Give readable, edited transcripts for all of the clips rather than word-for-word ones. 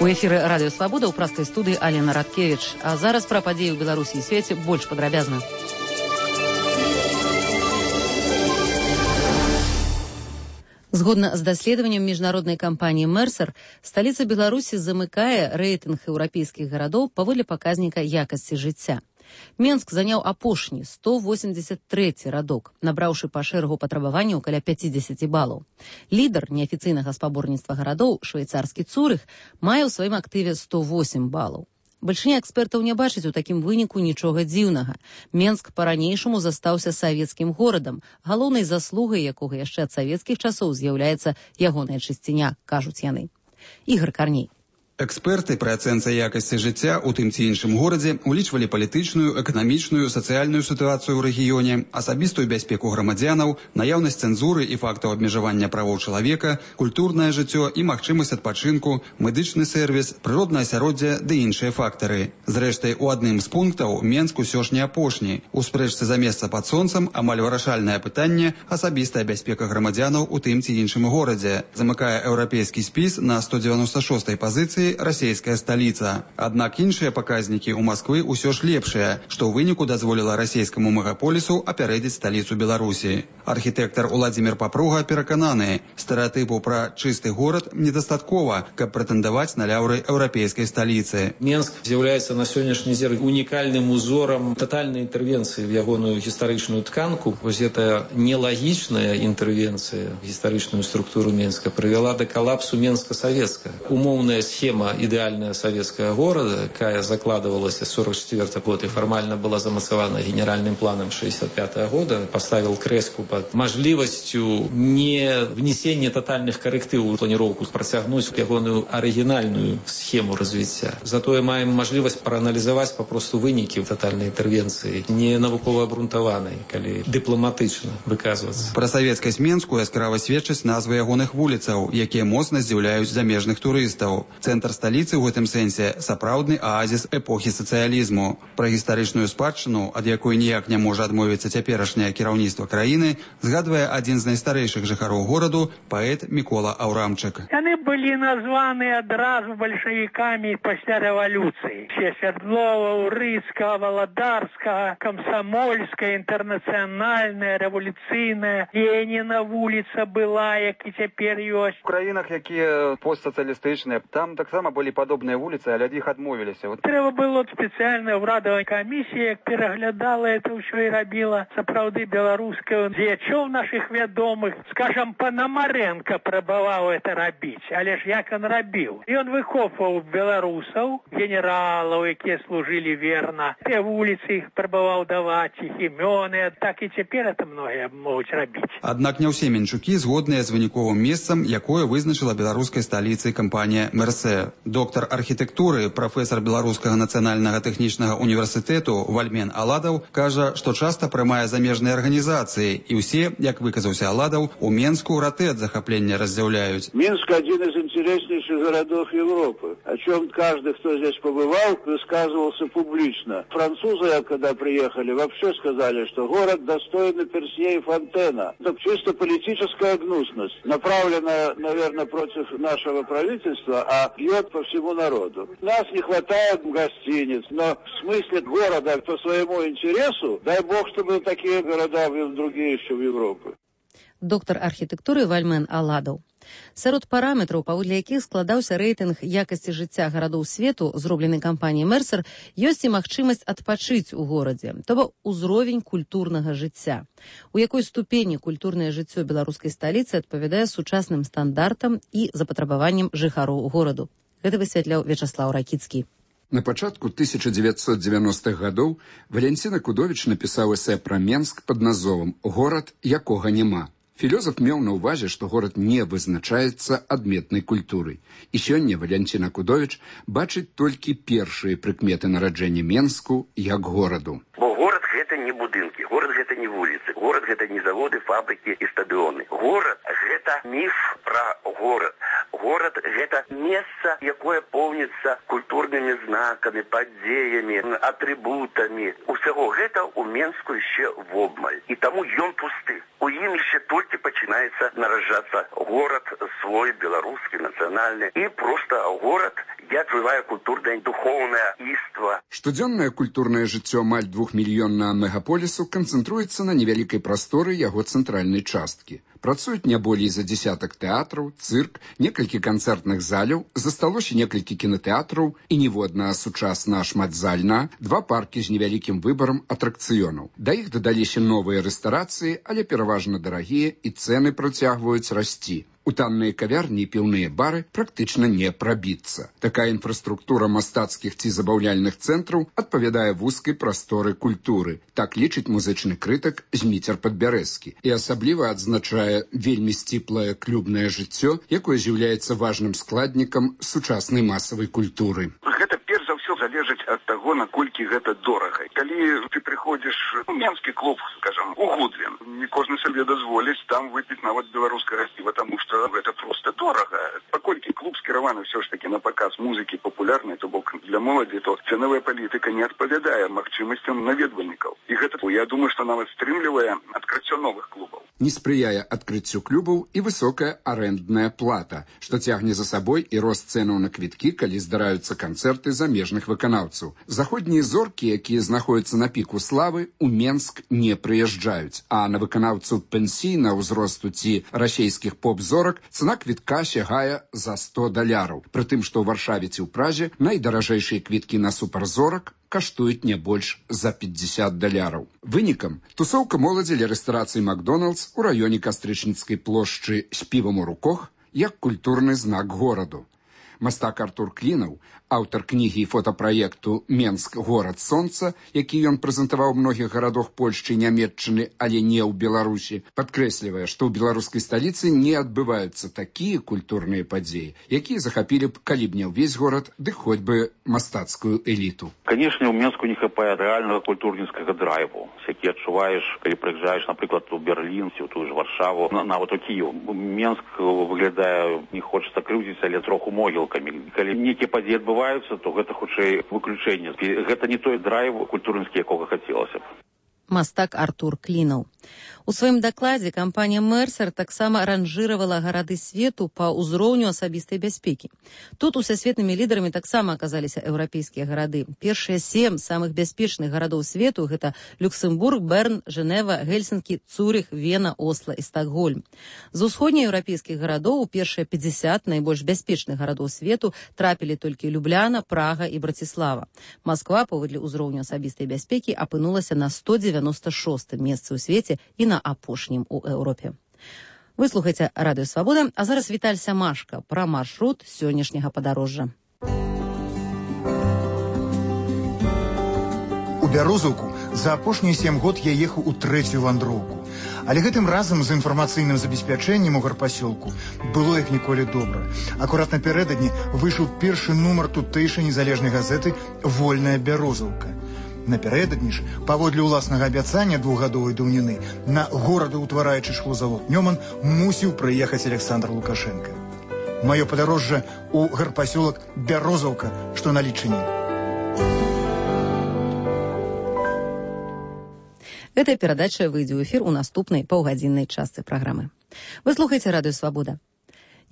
У эфіры радыё Свабода ў праскай студыі Алена Радкевіч. А зараз пра падзеі ў Беларусі і свеце больш падрабязна. Згодна з даследаваннем міжнароднай кампаніі Мерсер, сталіца Беларусі замыкае рэйтынг еўрапейскіх гарадоў паводле паказніка якасці жыцця. Менск заняў апошні 183 радок, набраўшы па шэрагу патрабаванняў каля 50 балаў. Лідар неафіцыйнага спаборніцтва гарадоў, швейцарскі Цурых, мае ў сваім актыве 108 балаў. Бальшыня экспертаў не бачыць у такім выніку нічога дзіўнага. Менск па-ранейшаму застаўся савецкім горадам, галоўнай заслугай якога яшчэ ад савецкіх часоў з'яўляецца ягоная чысціня, кажуць яны. Ігор Карней. Эксперты пры ацэнцы якасці жыцця ў тым ці іншым горадзе улічвалі палітычную, эканамічную, сацыяльную сітуацыю ў рэгіёне, асабістую бяспеку грамадзянаў, наяўнасць цэнзуры і фактаў абмежавання правоў чалавека, культурнае жыццё і магчымасць адпачынку, медычны сервіс, прыроднае асяроддзе ды іншыя фактары. Зрэшты, у адным з пунктаў Менск усё ж не апошні. У спрэчцы за месца пад сонцам амаль вырашальнае пытанне асабістая бяспека грамадзянаў у тым ці іншым горадзе. Замыкае еўрапейскі спіс на 196-й пазіцыі расійская сталіца. Аднак іншыя паказнікі ў Масквы ўсё ж лепшыя, што ў выніку дазволіла расійскаму мегаполісу апярэдзіць сталіцу Беларусі. Архітэктар Уладзімір Папруга перакананы, стэрэатыпу пра чысты горад недастаткова, каб прэтэндаваць на ляўры еўрапейскай сталіцы. Менск з'яўляецца на сённяшні дзень унікальным узорам татальнай інтэрвенцыі в ягоную гістарычную тканку. Вось гэта нелагічная інтэрвенцыя в гістарычную структуру Менска прывяла да калапсу Менска-савецка. Умоўная схема ідэальная савецкая горада, якая закладывалася 44 год и формально была замацавана генеральным планом 65 года, поставил крэску под мажлівасцю не внесения тотальных корректыў у планіроўку, працягнуць ягоную арыгінальную схему развіцця. Затое маем мажлівасць прааналізаваць папросту вынікі тотальнай інтэрвенцыі, не навукова абрунтаванай, калі дыпламатычна выказвацца. Пра савецкасць Менску яскрава сведчаць назвы ягоных вуліцаў, якія моцна здзіўляюць замежных турыстаў. Цэнтр сталіцы ў гэтым сэнсе сапраўдны аазіс эпохі сацыялізму. Пра гістарычную спадчыну, ад якой ніяк не можа адмовіцца цяперашняе кіраўніцтва краіны, згадвае адзін з найстарэйшых жыхароў гораду, паэт Мікола Аўрамчык. Яны былі названы адразу бальшавікамі пасля рэвалюцыі. Свердлова, Урыцкага, Валадарскага, Камсамольская, інтэрнацыянальная, рэвалюцыйная, Леніна вуліца была, як і цяпер ёсць. У краінах, якія постсацыялістычныя, там таксама былі падобныя вуліцы, але ад іх адмовіліся. Трэба было спецыяльная ўрадавая камісія, пераглядала это ўсё і рабіла сапраўды беларускую дзеячоў нашых вядомых. Скажам, Панамаренко прабаваў это рабіць, але ж як он рабіў? Ён выкопваў беларусаў, генералаў, якія служылі верна. Те вуліцы іх прабаваў даваць, іх імёны, так і цяпер это многія могуць рабіць. Аднак не ўсе менчукі згодныя з выніковым месцам, якое вызначыла беларускай сталіцай кампанія Мерсе. Доктар архітэктуры, прафесар Беларускага нацыянальнага тэхнічнага універсітэту Вальмен Аладаў кажа, што часта прымае замежныя арганізацыі, і ўсе, як выказаўся Аладаў, у Менску раты ад захаплення разъявляют. Минск один из интереснейших городов Европы, о чем каждый, кто здесь побывал, высказывался публично. Французы, когда приехали, вообще сказали, что город достойный Персье и Фонтена. Это чисто политическая гнусность, направленная, наверное, против нашего правительства, а бьет по всему народу. Нас не хватает гостиниц, но в смысле города по своему интересу, дай бог, чтобы такие города были другие еще в Европе. Доктар архітэктуры Вальмен Аладаў. Сярод параметраў, паводле якіх складаўся рэйтынг якасці жыцця гарадоў свету, зроблены кампаніяй Мерсер, ёсць і магчымасць адпачыць у горадзе, то бок узровень культурнага жыцця. У якой ступені культурнае жыццё беларускай сталіцы адпавядае сучасным стандартам і запатрабаванням жыхароў гораду. Гэта высвятляў Вячаслаў Ракіцкі. На пачатку 1990-х гадоў Валянціна Кудовіч напісаў эсэ пра Менск пад назовам «Горад, якога няма». Філёзаф меў на ўвазе, што горад не вызначаецца адметнай культурай. І сёння Валянціна Кудовіч бачыць толькі першыя прыкметы нараджэння Менску як гораду. Бо горад гэта не будынкі, горад гэта не вуліцы, горад гэта не заводы, фабрыкі і стадыёны. Горад гэта міф пра горад. Горад гэта месца, якое поўніцца культурнымі знакамі, падзеямі, атрыбутамі. Усяго гэта ў Менску яшчэ вобмаль. І таму ён пусты. У ім яшчэ толькі пачынаецца нараджацца горад свой, беларускі, нацыянальны. І проста горад где отжывая культурное и духовное иство. Штодзённае культурнае жыццё амаль 2-мільённага мегаполісу канцэнтруецца на невялікай прасторы яго цэнтральнай часткі. Працуюць не болей за десятак тэатраў, цырк, некалькі канцэртных заляў, засталося некалькі кінатэатраў і ніводна сучасна шматзальна, 2 паркі з невялікім выбарам атракцыёнаў. Да іх дадаліся новыя рэстарацыі, але пераважна дарагія і цэны працягваюць расці. У танныя кавярні і піўныя бары практычна не прабіцца. Такая інфраструктура мастацкіх ці забаўляльных цэнтраў адпавядае вузкай прасторы культуры. Так лічыць музычны крытык Зміцер Падбярэзскі. І асабліва адзначае вельмі сціплае клубнае жыццё, якое з'яўляецца важным складнікам сучаснай масавай культуры. Гэта перш за ўсё залежыць ад таго, наколькі гэта дорага. Калі ты прыходзіш у менскі клуб, скажам, у Гудвін, не кожны сабе дазволіць там выпіць нават беларускага піва, таму што гэта проста дорага. Паколькі клуб скіраваны ўсё ж такі на паказ музыкі папулярнай, то бок для моладзі, то цэновая палітыка не адпавядае магчымасцям наведвальнікаў. І гэта, я думаю, што нават стрымлівае адкрыццё новых клубаў. Не спрыяе адкрыццю клубаў і высокая арэндная плата, што цягне за сабой і рост цэнаў на квіткі, калі здараюцца канцэрты замежных выканаўцаў. Заходнія зоркі, якія знаходзяцца на піку славы, у Менск не прыязджаюць, а на выканаўцаў пенсійнага ўзросту ці расейскіх поп-зорак цана квітка сягае за $100. Прытым, што ў Варшаве ці ў Празе найдаражэйшыя квіткі на суперзорак каштуюць не больш за $50. Вынікам тусоўка моладзі ля рэстарацыі Макдоналдс у раёне Кастрычніцкай плошчы з півам у руках як культурны знак гораду. Мастак Артур Клінаў, аўтар кнігі і фотапраекту «Менск. Горад сонца», які ён прэзентаваў у многіх гарадах Польшчы і Нямецчыны, але не ў Беларусі, падкрэслівае, што ў беларускай сталіцы не адбываюцца такія культурныя падзеі, якія захапілі б, калі б не ўвесь горад, дык хоць бы мастацкую эліту. Конечно, у Менску не хапае рэальнага культурніцкага драйву, які адчуваеш, калі прыязджаеш, напрыклад, у Берлін, ці ў тую ж Варшаву, нават у Кіеў. Менск выглядае, не хочацца крыўдзіць, але троху могілкамі. Калі нейкія падзеі адбываюцца, то гэта хутчэй выключэнне. Гэта не той драйв культурніцкі, якога хацелася б. Мастак Артур Клінаў. У сваім дакладзе кампанія Мерсер таксама ранжыравала гарады свету па ўзроўню асабістай бяспекі. Тут усесветнымі лідарамі таксама аказаліся еўрапейскія гарады. Першыя 7 самых бяспечных гарадоў свету — гэта Люксембург, Берн, Женева, Гельсінкі, Цурых, Вена, Осла і Стокгольм. З усходнееўрапейскіх гарадоў у першыя 50 найбольш бяспечных гарадоў свету трапілі толькі Любляна, Прага і Браціслава. Масква, паводле ўзроўню асабістай бяспекі, апынулася на 196-м месцы ў свеце і на апошнім у Еўропе. Вы слухаеце Радыё Свабода, а зараз Віталь Сямашка пра маршрут сённяшняга падарожжа. У Бярозаўку за апошнія 7 год я ехаў у 3-ю вандроўку. Але гэтым разам з інфармацыйным забеспячэннем у гарпасёлку было як ніколі добра. Акурат напярэдадні выйшаў першы нумар тутэйшай незалежнай газеты «Вольная Бярозаўка». Напярэдадні ж, паводле ўласнага абяцання 2-гадовай даўніны, на горадаўтвараючы шклозавод «Нёман» мусіў прыехаць Александр Лукашенко. Маё падарожжа ў гарпасёлак Бярозаўка, што на Лічыне. Гэтая перадача выйдзе ў эфір у наступнай паўгадзіннай частцы праграмы. Вы слухаеце Радыё Свабода.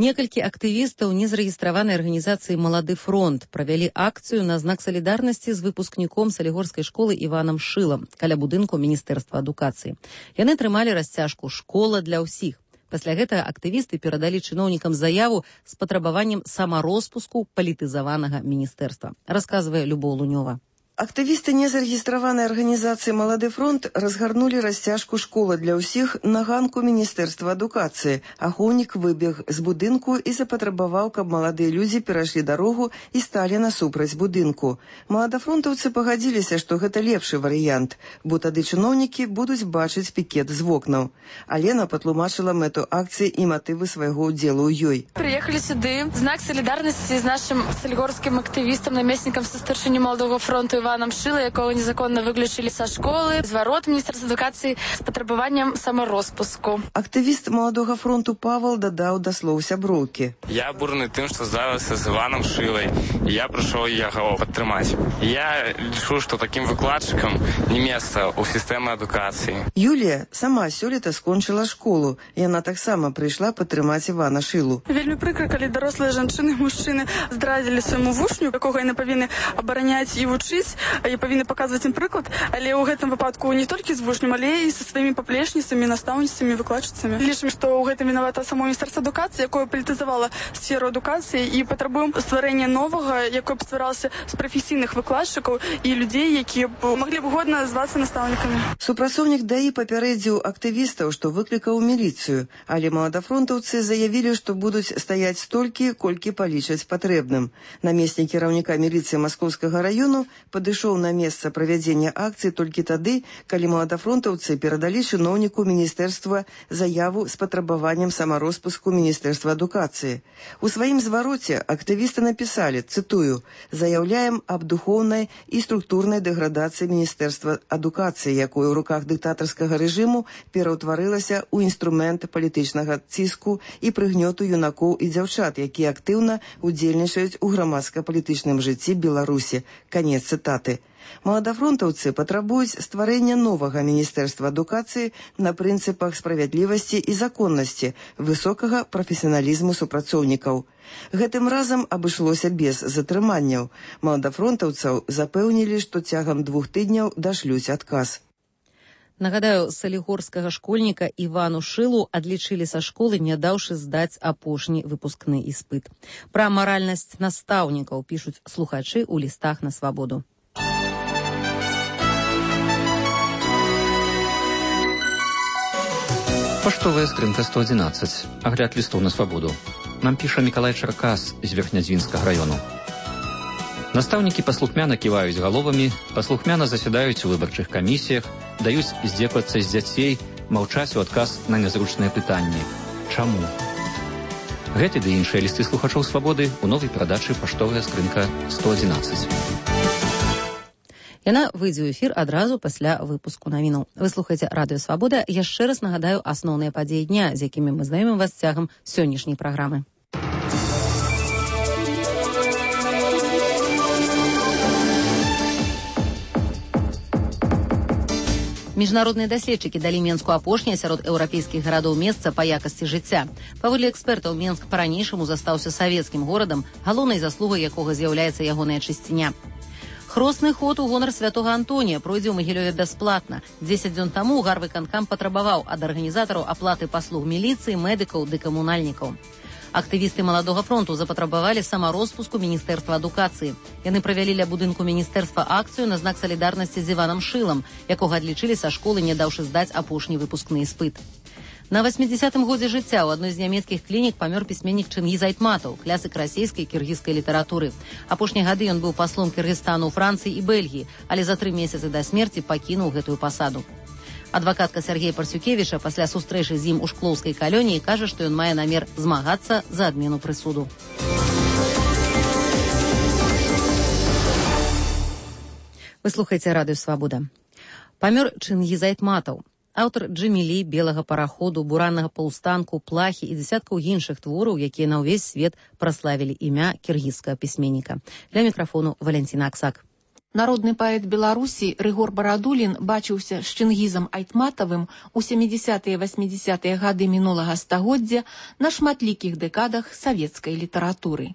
Некалькі актывістаў незарэгістраванай арганізацыі «Малады фронт» правялі акцыю на знак салідарнасці з выпускніком салігорскай школы Іванам Шылам каля будынку Міністэрства адукацыі. Яны трымалі расцяжку «Школа для ўсіх». Пасля гэтага актывісты перадалі чыноўнікам заяву з патрабаваннем самароспуску палітызаванага міністэрства, расказвае Любоў Лунёва. Актывісты незарэгістраванай арганізацыі «Малады фронт» разгарнулі расцяжку «Школа для ўсіх» на ганку Міністэрства адукацыі. Ахоўнік выбег з будынку і запатрабаваў, каб маладыя людзі перайшлі дарогу і сталі насупраць будынку. Маладафронтаўцы пагадзіліся, што гэта лепшы варыянт, бо тады чыноўнікі будуць бачыць пікет з вокнаў. Алена патлумачыла мэту акцыі і матывы свайго ўдзелу ў ёй. Прыехалі сюды, знак салідарнасці з нашым салігорскім актывістам, намеснікам са старшыні «Маладога фронту» Іваном Шила, якого незаконно виключили со школи, з ворот Міністерства адукації з потребуванням саморозпуску. Активіст Маладога фронту Павел додав до слов сяброўкі. Я бурны тым, што здаваўся з Іваном Шилай, і я прыйшоў яго падтрымаць. Я лічу, што такім выкладчыкам не месца ў сістэмы адукацыі. Юлія сама сёлета скончыла школу. Яна таксама прыйшла падтрымаць Івана Шилу. Вельмі прыкра, калі дарослыя жанчыны і мужчыны здрадзілі свайму вучню, якога яны павінны абараняць і вучыць, і павінны паказваць ім прыклад, але ў гэтым выпадку не толькі з вучнем, але і са сваімі паплечніцамі, настаўніцамі, выкладчыцамі. Лічым, што ў гэтым вінавата само Міністэрства адукацыі, якое палітызавала сферу адукацыі, і патрабуем стварэння новага, якое б стваралася з прафесійных выкладчыкаў і людзей, якія б маглі б годна звацца настаўнікамі. Супрацоўнік ДАІ папярэдзіў актывістаў, што выклікаў міліцыю, але маладафронтаўцы заявілі, што будуць стаяць столькі, колькі палічаць патрэбным. Намеснік кіраўніка міліцыі Маскоўскага раёну падышоў на месца правядзення акцыі толькі тады, калі маладафронтаўцы перадалі чыноўніку міністэрства заяву з патрабаваннем самарозпуску Міністэрства адукацыі. У сваім звароце актывісты напісалі, цытую, «Заяўляем аб духоўнай і структурнай дэградацыі Міністэрства адукацыі, якое ў руках дыктатарскага рэжыму пераўтварылася ў інструмент палітычнага ціску і прыгнёту юнакоў і дзяўчат, якія актыўна удзельнічаюць у грамадска-палітычным жыцці Беларусі». Канец цытаты. Маладафронтаўцы патрабуюць стварэння новага Міністэрства адукацыі на прынцыпах справядлівасці і законнасці, высокага прафесіяналізму супрацоўнікаў. Гэтым разам абышлося без затрыманняў. Маладафронтаўцаў запэўнілі, што цягам 2 тыдняў дашлюць адказ. Нагадаю, салігорскага школьніка Івану Шилу адлічылі са школы, не даўшы здаць апошні выпускны іспыт. Пра маральнасць настаўнікаў пішуць слухачы ў лістах на свабоду. Паштовая скрынка 111. Агляд лістоў на свабоду. Нам піша Мікалай Чаркас з Верхнядзвінскага раёну. Настаўнікі паслухмяна ківаюць галовамі, паслухмяна засядаюць у выбарчых камісіях, даюць здзеквацца з дзяцей, маўчаць у адказ на нязручныя пытанні. Чаму? Гэты ды іншыя лісты слухачоў свабоды ў новай перадачы «Паштовая скрынка 111». Яна выйдзе ў эфір адразу пасля выпуску навінаў. Вы слухаеце Радыё Свабода. Яшчэ раз нагадаю асноўныя падзеі дня, з якімі мы знаёмім вас цягам сённяшняй праграмы. Міжнародныя даследчыкі далі Менску апошняе сярод еўрапейскіх гарадоў месца па якасці жыцця. Паводле экспертаў, Менск па-ранейшаму застаўся савецкім горадам, галоўнай заслугай якога з'яўляецца ягоная чысціня. Хросны ход у гонар святога Антонія пройдзе ў Магілёве бясплатна. 10 дзён таму гарвыканкам патрабаваў ад арганізатараў аплаты паслуг міліцыі, медыкаў ды камунальнікаў. Актывісты Маладога фронту запатрабавалі самарозпуску Міністэрства адукацыі. Яны правялі ля будынку міністэрства акцыю на знак салідарнасці з Іванам Шилам, якога адлічылі са школы, не даўшы здаць апошні выпускны іспыт. На 80-м годзе жыцця ў адной з нямецкіх клінік памёр пісьменнік Чынгіз Айтматаў, клясык расійскай і кіргізскай літаратуры. Апошнія гады ён быў паслом Кыргызстану ў Францыі і Бельгіі, але за 3 месяцы да смерці пакінуў гэтую пасаду. Адвакатка Сергея Парсюкевіча пасля сустрэчы з ім у шклоўскай калоніі кажа, што ён мае намер змагацца за адмену прысуду. Вы слухаеце Радыё Свабода. Памёр Чынгіз Айтматаў. Аўтар Джэмілі, белага параходу, бураннага паўстанку, плахі і дзясяткаў іншых твораў, якія на ўвесь свет праславілі імя кіргізскага пісьменніка. Для мікрафону Валянціна Аксак. Народны паэт Беларусі Рыгор Барадулін бачыўся з Чынгізам Айтматавым у 70-е і 80-е гады мінулага стагоддзя на шматлікіх дэкадах савецкай літаратуры.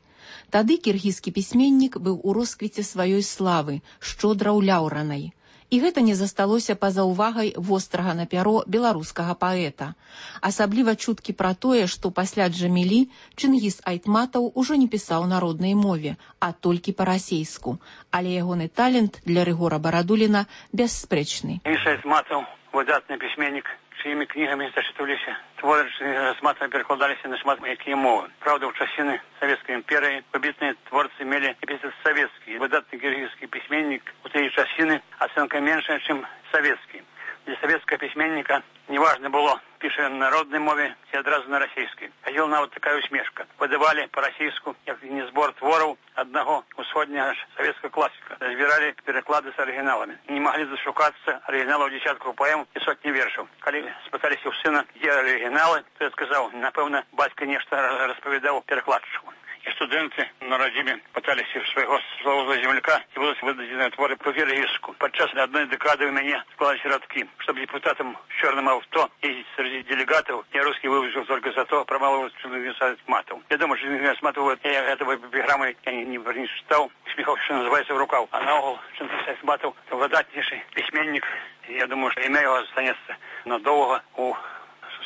Тады кіргізскі пісьменнік быў у росквіце сваёй славы, шчодра ўляўранай. І гэта не засталося па-за ўвагай вострага на пяро беларускага паэта. Асабліва чуткі пра тое, што пасля Джэмілі Чынгіз Айтматаў ужо не пісаў на роднай мове, а толькі па-расейску. Але ягоны талент для Рыгора Барадуліна бясспрэчны. Чынгіз Айтматаў выдатны пісьменнік, чыімі кнігамі зачытваліся. Творы Чынгіза Айтматава перакладаліся на шмат якія мовы. Праўда, ў часіны Савецкай імперыі выбітныя творцы мелі эпітет савецкі. Выдатны кіргізскі пісьменнік у тыя часіны ацэнка меншая, чым савецкі. Для советского письменника неважно было, пише на народной мове ці одразу на российской. Ходила нават такая усмешка. Выдавали по-российску, як не сбор творов одного усходнего советского классика. Разбирали переклады с оригиналами. Не могли зашукаться оригиналов десятков поэм и сотни вершев. Когда спытались у сына, где оригиналы, то я сказал, напевно, батька нечто расповедал перекладчику. И студенты на родиме пытались своего злого земляка и будут выдадены творы по-віргійську. Подчас одной декады у меня склались рядки, чтобы депутатам в черном авто ездить среди делегатов, я русский выучил только за то, промалывал Чингиза Айтматова. Я думаю, что Чингиз Айтматова, я этого эпиграммы не читал, смехов, что называется, в рукав. А наогул Чингиз Айтматов выдатнейший письменник. Я думаю, что имя его останется надолго у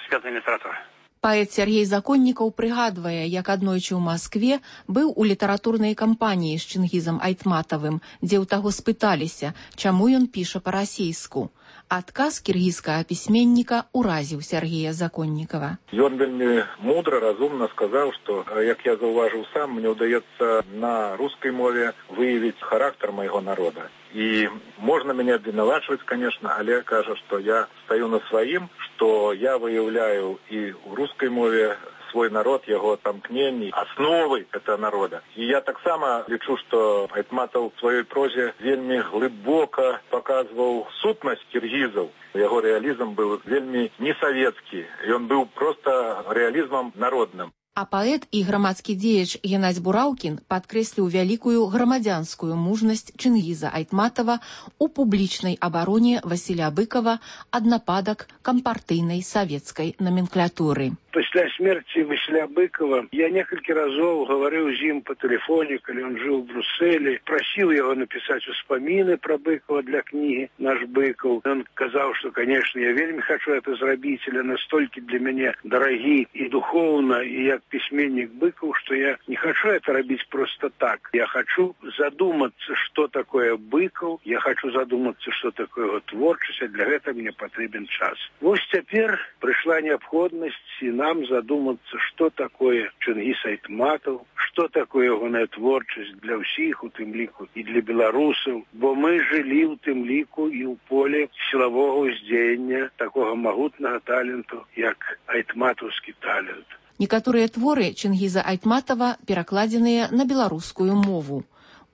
светлой литературы. Паэт Сергей Законнікаў прыгадвае, як аднойчы ў Маскве быў у літаратурнай кампаніі з Чингізам Айтматавым, дзе ў таго спыталіся, чаму ён піша па-расейску. Адказ кіргізскага пісьменніка ўразіў Сергея Законнікава. Ён вельмі мудра, разумна сказаў, што, як я заўважыў сам, мне ўдаецца на рускай мове выявіць характар майго народа. И можно меня обвинувачивать, конечно, але кажа, что я стою на своим, что я выявляю и в русской мове свой народ, его тамкнений, основы этого народа. И я так само лічу, что Айтматов в своей прозе вельми глубоко показывал сутность киргизов. Его реализм был вельми не советский, и он был просто реализмом народным. А паэт і грамадскі дзеяч Геннадзь Бураўкін падкрэсліў вялікую грамадзянскую мужнасць Чингіза Айтматова у публічнай абароне Васіля Быкова ад нападак кампартыйнай савецкай номенклатуры. Пасля смерти Василя Быкова я несколько разов говорил с ним по телефону, когда он жил в Брюсселе, просил его написать вспомины про Быкова для книги «Наш Быков». Он сказал, что, конечно, я вельми хочу это сделать, але настолько для меня дороги и духовно, и я письменник Быков, что я не хочу это делать просто так. Я хочу задуматься, что такое Быков, я хочу задуматься, что такое его творчество, для этого мне потребен час. Вот теперь пришла необходимость и нам задуматься, что такое Чингіз Айтматов, что такое его творчесть для всех, у тым ліку, и для белорусов, бо мы жили у тым ліку и у поле силового уздзеяння такого могутного таленту, як айтматовский талент. Некаторыя творы Чингіза Айтматова перакладзеныя на беларускую мову.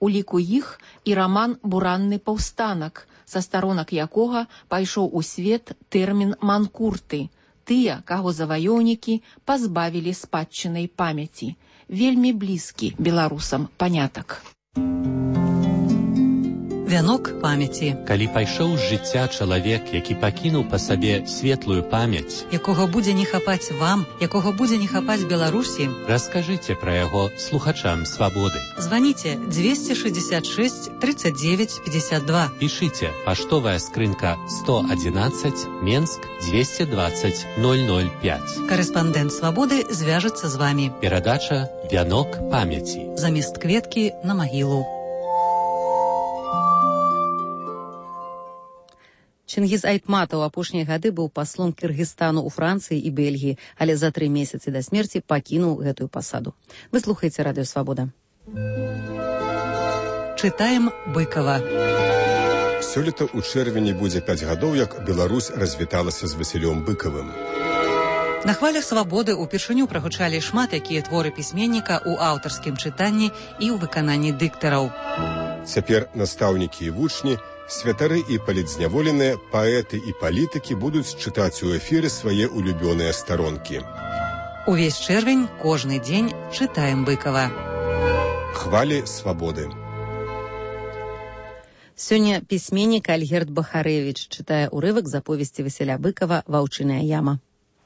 У ліку іх і раман «Буранны паўстанак», са старонак якога пайшоў у свет тэрмін «манкурты», тыя, каго заваёўнікі пазбавілі спадчынай памяці. Вельмі блізкі беларусам панятак. Вянок памяці. Калі пайшоў з жыцця чалавек, які пакінуў па сабе светлую памяць, якога будзе не хапаць вам, якога будзе не хапаць Беларусі, раскажыце пра яго слухачам свабоды. Званіце 266 39 52. Пішыце паштовая скрынка 111 Менск 220 005. Карэспандэнт свабоды звяжацца з вамі. Перадача «Вянок памяці». Замест кветкі на магілу. Чингіз Айтматаў апошнія гады быў паслом Кыргызстану ў Францыі і Бельгіі, але за 3 месяцы да смерці пакінуў гэтую пасаду. Вы слухаеце радыё Свабода. Чытаем Быкова. Сёлета ў чэрвені будзе 5 гадоў, як Беларусь развіталася з Васілём Быкавым. На хвалях свабоды ўпершыню прагучалі шмат якія творы пісьменніка ў аўтарскім чытанні і ў выкананні дыктараў. Цяпер настаўнікі і вучні, святары і палітзняволеныя, паэты і палітыкі будуць чытаць у эфіры свае улюбёныя старонкі. Увесь чэрвень, кожны дзень чытаем Быкава. Хвалі свабоды. Сёння пісьменнік Альгерд Бахарэвіч чытае ўрывак з аповесці Васіля Быкава «Ваўчыная яма».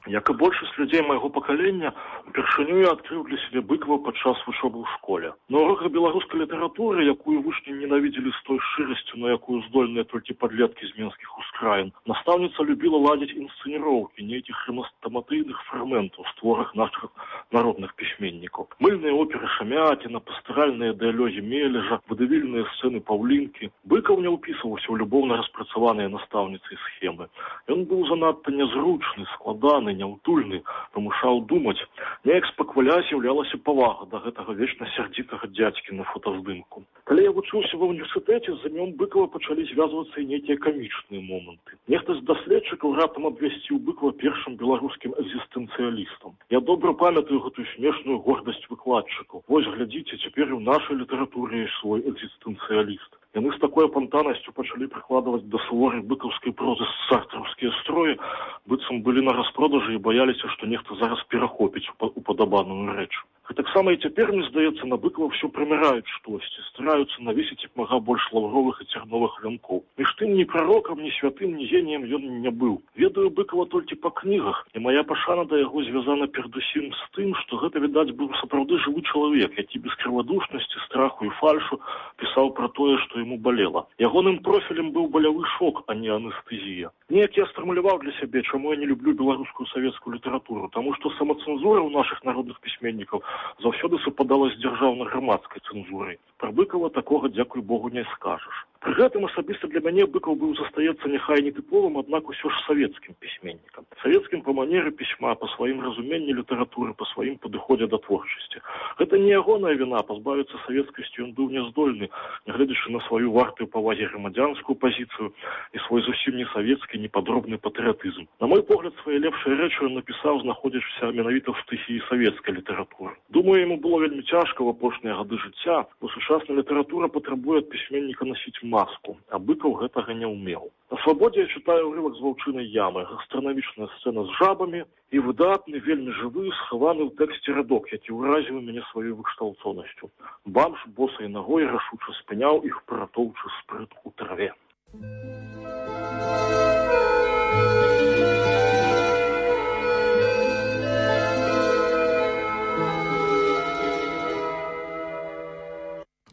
Як і большасць людзей майго пакалення, упершыню я адкрыў для сябе Быкава падчас вучобы ў школе. На уроках беларускай літаратуры, якую вучні ненавідзелі з той шчырасцю, на якую здольныя толькі падлеткі з менскіх ускраін, настаўніца любіла ладзіць інсцэніроўкі нейкіх хрэстаматыйных фрагментаў з творах нашых народных пісьменнікаў. Мыльныя оперы Шамятіна, пастаральныя дыялогі Мележа, вадавільныя сцэны Паўлінкі. Быкаў не ўпісваўся ў любоўна распрацаваныя настаўніцай схемы. Ён быў занадта нязручны, складаны, няўтульны, прымушаў думаць. Неяк спакваля з'яўлялася павага да гэтага вечна сярдзітага дзядзькі на фотаздымку. Калі я вучыўся ва ўніверсітэце, з імём Быкава пачалі звязвацца і нейкія камічныя моманты. Нехта з даследчыкаў раптам абвясціў Быкова першым беларускім экзістэнцыялістам. Я добра памятаю гэтую смешную гордасць выкладчыкаў. Вось глядзіце, цяпер і ў нашай літаратуры ёсць свой экзістэнцыяліст. Яны з такой апантанасцю пачалі прыкладваць да суворай быкаўскай прозы сартраўскія строі, быццам былі на распродажы і баяліся, што нехта зараз перахопіць упадабаную рэч. Гэтаксама і цяпер, мне здаецца, на Быкова ўсё прыміраюць штосьці, стараюцца навесіць як мага больш лаўровых і цярновых вянкоў. Між тым, ні прарокам, ні святым, ні геніем ён не быў. Ведаю Быкова толькі па кнігах, і мая пашана да яго звязана перадусім з тым, што гэта, відаць, быў сапраўды жывы чалавек, які без крывадушнасці, страху і фальшу пісаў пра тое, што яму балела. Ягоным профілем быў балявы шок, а не анестэзія. Неяк я сфармуляваў для сябе, чаму я не люблю беларускую савецкую літаратуру, таму што самацэнзура ў нашых народных пісьменнікаў заўсёды супадала з дзяржаўна-грамадскай цэнзурай. Пра Быкова такога, дзякуй Богу, не скажаш. Пры гэтым асабіста для мяне Быкаў быў застаецца няхай не тыповым, аднак усё ж савецкім пісьменнікам. Савецкім па манеры пісьма, па сваім разуменні літаратуры, па сваім падыходзе да творчасці. Гэта не ягоная віна, пазбавіцца савецкасці ён быў няздольны, нягледзячы на сваю вартую павагі грамадзянскую пазіцыю і свой зусім не савецкі, непадробны патрыятызм. На мой погляд, свае лепшыя рэчы ён напісаў, знаходзячыся менавіта ў стыхіі савецкай літаратуры. Думаю, яму было вельмі цяжка ў апошнія гады жыцця, бо сучасная літаратура патрабуе ад пісьменніка насіць маску, а Быкаў гэтага не ўмеў. На свабодзе я чытаю ўрывак з ваўчынай ямы, гастранамічная сцэна з жабамі і выдатны, вельмі жывы, схаваны ў тэксце радок, які ўразіў мяне сваёй выкшталцонасцю. Бамж босай нагой рашуча спыняў іх паратоўчы спрыт у траве.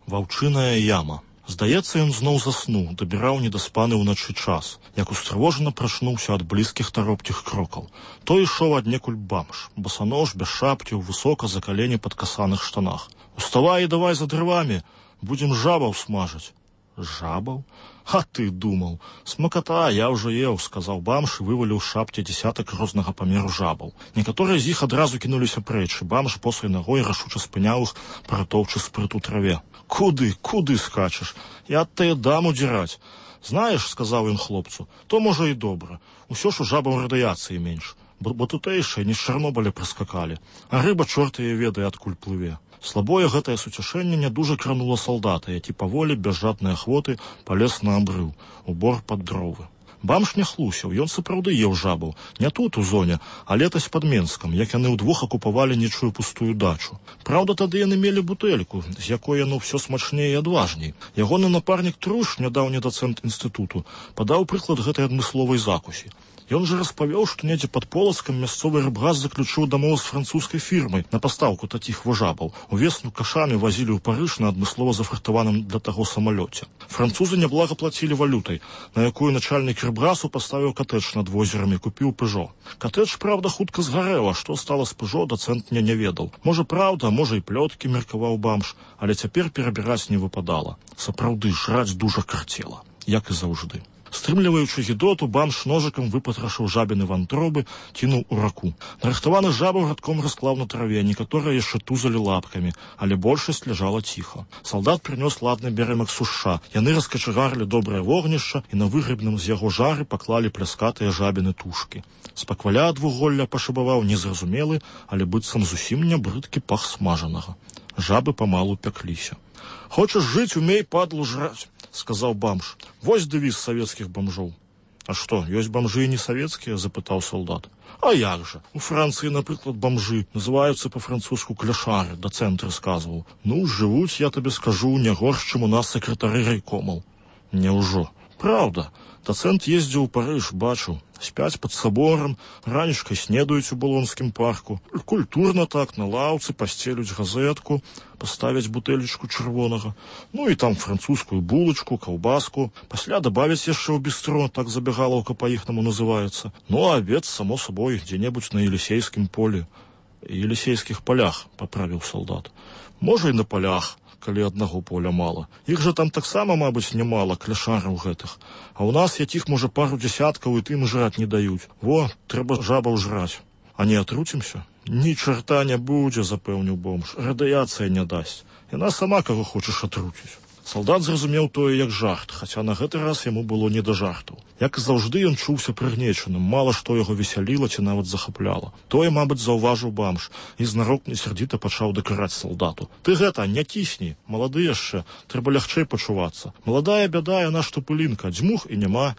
Ваўчыная яма. Здаецца, ён зноў заснуў, дабіраў недаспаны ўначы час, як устрывожана прачнуўся ад блізкіх таропкіх крокаў. Той ішоў аднекуль бамж, босанож, без шапкі, высока за калені пад касаных штанах. «Уставай і давай за дрывамі, будзем жабаў смажыць». «Жабаў? А ты думаў. Смаката, я ўжо еў», — сказаў бамж і вываліў з шапкі дзесятак рознага памеру жабаў. Некаторыя з іх адразу кінуліся прэч, і бамж босай нагой рашуча спыняў іх, паратоўчы спрыт у траве. Куды скачаш? Я ад тае дам удзіраць. Знаеш, сказаў ён хлопцу, то можа і добра. Усё ж у жабаў радыяцыі менш, бо тутэйшыя не з Чарнобыля прыскакалі, а рыба чорт яе ведае, адкуль плыве. Слабое гэтае суцяшэнне нядужа кранула салдата, які паволі, без жаднай ахвоты, палез на абрыў, у бор пад дровы. Бамж не хлусіў, ён сапраўды еў жабаў, не тут у зоне, а летась пад Менскам, як яны ўдвох акупавалі нечую пустую дачу. Праўда, тады яны мелі бутэльку, з якой яно ўсё смачней і адважней. Ягоны напарнік Труш, нядаўні дацэнт інстытуту, падаў прыклад гэтай адмысловай закусі. Ён жа распавёў, што недзе пад Полацкам мясцовы рыбгас заключыў дамоў з французскай фірмай на пастаўку такіх жабаў. Увесну кашамі вазілі ў Парыж на адмыслова зафрахтаваным для таго самалёце. Французы няблага плацілі валютай, на якую начальнік рыбгасу паставіў катэдж над возерамі, купіў Пыжо. Катэдж, правда, хутка згарэла, што стала з Пыжо, дацэнт не ведаў. Можа, праўда, можа і плёткі, меркаваў бамж, але цяпер перабіраць не выпадала. Сапраўды, жраць дужа карцела, як і заўжды. Стрымліваючы гідоту, бамж ножыкам выпатрашыў жабіны вантробы, кінуў у раку. Нарыхтаваны жабаў радком расклаў на траве, некаторыя яшчэ тузалі лапкамі, але большасць ляжала ціха. Салдат прынёс ладны бярэмак сушша. Яны раскачагарылі добрае вогнішча і на выгребным з яго жары паклалі пляскатыя жабіны тушкі. Спакваля ад вуголля пашыбаваў незразумелы, але быццам зусім не брыдкі пах смажанага. Жабы памалу пякліся. «Хочаш жыць, умей, падлу, жраць», — сказаў бамж. «Вось дэвіз савецкіх бамжоў». «А што, ёсць бамжы і не савецкія?» — запытаў салдат. «А як жа? У Францыі, напрыклад, бамжы называюцца па-французску кляшары», — дацэнт расказваў. «Ну, жывуць, я табе скажу, не горш, чым у нас сакратары райкомаў». «Няўжо?» «Праўда. Дацэнт ездзіў у Парыж, бачыў. Спяць пад саборам, ранішкай снедаюць у Балонскім парку. Культурна так, на лаўцы пасцелюць газетку, паставяць бутэлечку чырвонага. Ну і там французскую булачку, каўбаску. Пасля дабавяць яшчэ ў бістро, так забягалаўка па-іхнаму называецца. Ну а абед, само собой, дзе-небудзь на Елісейскім полі. Елісейскіх палях, паправіў салдат. Можа, і на палях, калі аднаго поля мала. Іх жа там таксама, мабыць, нямала, кляшараў гэтых. А ў нас якіх, можа, пару дзясяткаў і тым жраць не даюць. Во, трэба жабаў жраць. А не атруцімся? Ні чарта не будзе, запэўніў бомж. Радыяцыя не дасць. Яна сама каго хочаш атруціць. Салдат зразумеў тое як жарт, хаця на гэты раз яму было не да жартаў. Як і заўжды, ён чуўся прыгнечаным, мала што яго весяліла ці нават захапляла. Тое, мабыць, заўважыў бамж і знарок несярдзіта пачаў дакараць салдату. Ты гэта, не кісні, малады яшчэ, трэба лягчэй пачувацца. Маладая бяда, яна што пылінка, дзьмух і няма.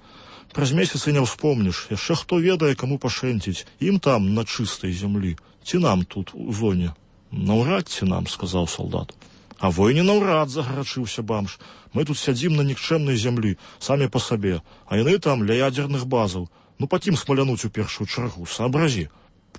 Праз месяц і не ўспомніш, яшчэ хто ведае, каму пашэнціць, ім там, на чыстай зямлі, ці нам тут, у зоне. Наўрад ці нам, сказаў салдат. А войне наўрад, загарачыўся бамж. Мы тут сядзім на нікчэмнай зямлі, самі па сабе, а яны там ля ядзерных базаў. Ну, пакім смалянуць у першую чаргу, сообразі.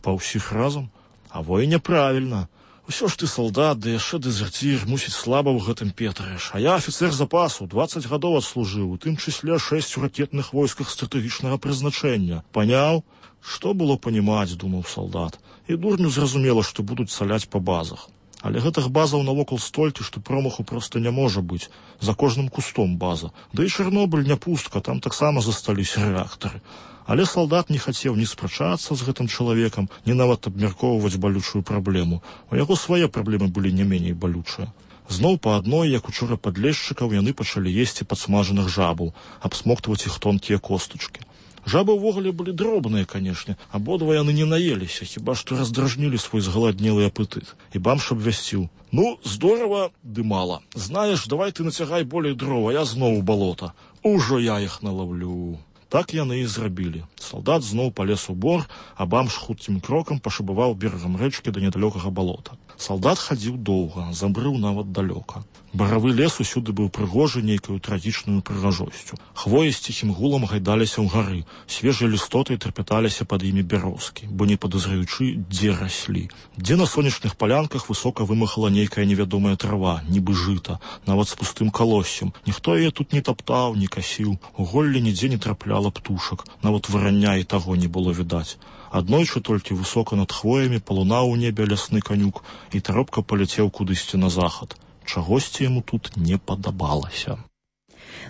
Па ўсіх разам? А войне правільна. Усё ж ты салдат, да яшчэ дэзерцір, мусіць слаба ў гэтым петрыш. А я афіцэр запасу, 20 гадоў адслужыў, у тым чысле 6 у ракетных войсках стратэгічнага прызначэння. Паняў? Што было панімаць, думаў салдат. І дурню зразумела, што будуць саляць па базах. Але гэтых базаў навокал столькі, што промаху проста не можа быць. За кожным кустом база. Да і Чарнобыль не пустка, там таксама засталіся рэактары. Але салдат не хацеў ні спрачацца з гэтым чалавекам, ні нават абмяркоўваць балючую праблему. У яго свае праблемы былі не меней балючыя. Зноў па адной, як учора падлешчыкаў, яны пачалі есці падсмажаных жабаў, абсмоктваць іх тонкія костачкі. Жабы ўвогуле былі дробныя, канешне, абодва яны не наеліся, хіба што раздражнілі свой згаладнелы апетыт. І бамж абвясціў: ну, здорава, ды мала. Знаеш, давай ты нацягай болей дрова, я зноў у балота. Ужо я іх налаўлю. Так яны і зрабілі. Салдат зноў палез у бор, а бамж хуткім крокам пашабаваў берагам рэчкі да недалёкага балота. Салдат хадзіў доўга, забрыў нават далёка. Баравы лес усюды быў прыгожы нейкаю трагічную прыгажосцю. Хвоі з ціхім гулам гайдаліся ўгары, свежай лістотай трапяталіся пад імі бярозкі, бо не падазраючы, дзе раслі. Дзе на сонечных палянках высока вымахала нейкая невядомая трава, нібы жыта, нават з пустым калоссем. Ніхто яе тут не таптаў, не касіў, у голлі нідзе не трапляла птушак, нават варання і таго не было відаць. Аднойчы толькі высока над хвоямі палунаў у небе лясны канюк і таропка паляцеў кудысьці на захад. Чагосьці яму тут не падабалася.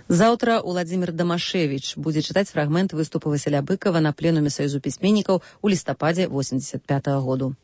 Заўтра Уладзімір Дамашевіч будзе чытаць фрагмент выступу Васіля Быкава на пленуме Саюзу пісьменнікаў у лістападзе 85-го году.